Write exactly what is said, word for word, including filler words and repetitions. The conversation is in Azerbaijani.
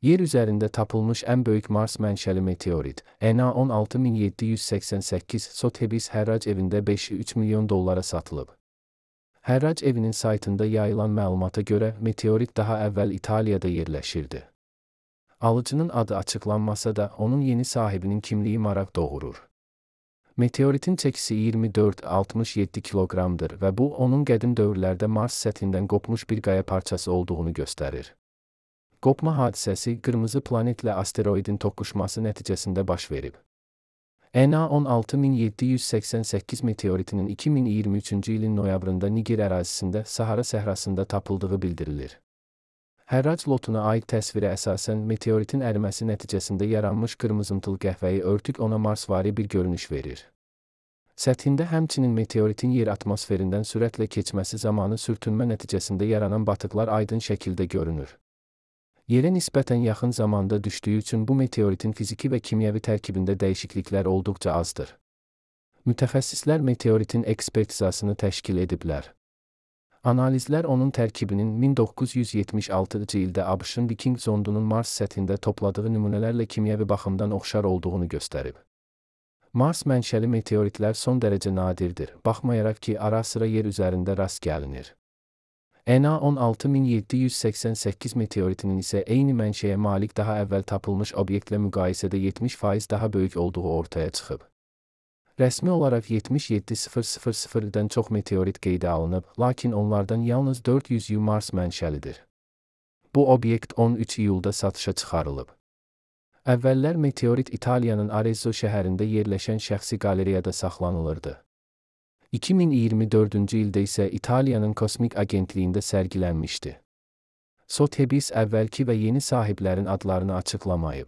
Yer üzərində tapılmış ən böyük Mars mənşəli meteorit, E N A on altı min yeddi yüz səksən səkkiz Sotheby's hərrac evində beş nöqtə üç milyon dollara satılıb. Hərrac evinin saytında yayılan məlumata görə meteorit daha əvvəl İtaliyada yerləşirdi. Alıcının adı açıqlanmasa da, onun yeni sahibinin kimliyi maraq doğurur. Meteoritin çəkisi iyirmi dörd altmış yeddi kiloqramdır və bu, onun qədim dövrlərdə Mars səthindən qopmuş bir qaya parçası olduğunu göstərir. Qopma hadisəsi qırmızı planetlə asteroidin toqquşması nəticəsində baş verib. E N A on altı min yeddi yüz səksən səkkiz meteoritinin iki min iyirmi üçüncü ilin noyabrında Niger ərazisində Sahara səhrasında tapıldığı bildirilir. Hərrac lotuna aid təsvirə əsasən meteoritin əriməsi nəticəsində yaranmış qırmızımtıl qəhvəyi örtük ona Marsvari bir görünüş verir. Səthində həmçinin meteoritin yer atmosferindən sürətlə keçməsi zamanı sürtünmə nəticəsində yaranan batıqlar aydın şəkildə görünür. Yerə nisbətən yaxın zamanda düşdüyü üçün bu meteoritin fiziki və kimyəvi tərkibində dəyişikliklər olduqca azdır. Mütəxəssislər meteoritin ekspertizasını təşkil ediblər. Analizlər onun tərkibinin min doqquz yüz yetmiş altıncı ildə ABŞ-ın Viking zondunun Mars səthində topladığı nümunələrlə kimyəvi baxımdan oxşar olduğunu göstərib. Mars mənşəli meteoritlər son dərəcə nadirdir, baxmayaraq ki, ara-sıra yer üzərində rast gəlinir. E N A on altı min yeddi yüz səksən səkkiz meteoritinin isə eyni mənşəyə malik daha əvvəl tapılmış obyektlə müqayisədə yetmiş faiz daha böyük olduğu ortaya çıxıb. Rəsmi olaraq yetmiş yeddi min dən çox meteorit qeydə alınıb, lakin onlardan yalnız dörd yüzü Mars mənşəlidir. Bu obyekt on üç iyulda satışa çıxarılıb. Əvvəllər meteorit İtaliyanın Arezzo şəhərində yerləşən şəxsi qalereyada saxlanılırdı. iki min iyirmi dördüncü ildə isə İtaliyanın kosmik agentliyində sərgilənmişdi. Sotheby's əvvəlki və yeni sahiblərin adlarını açıqlamayıb.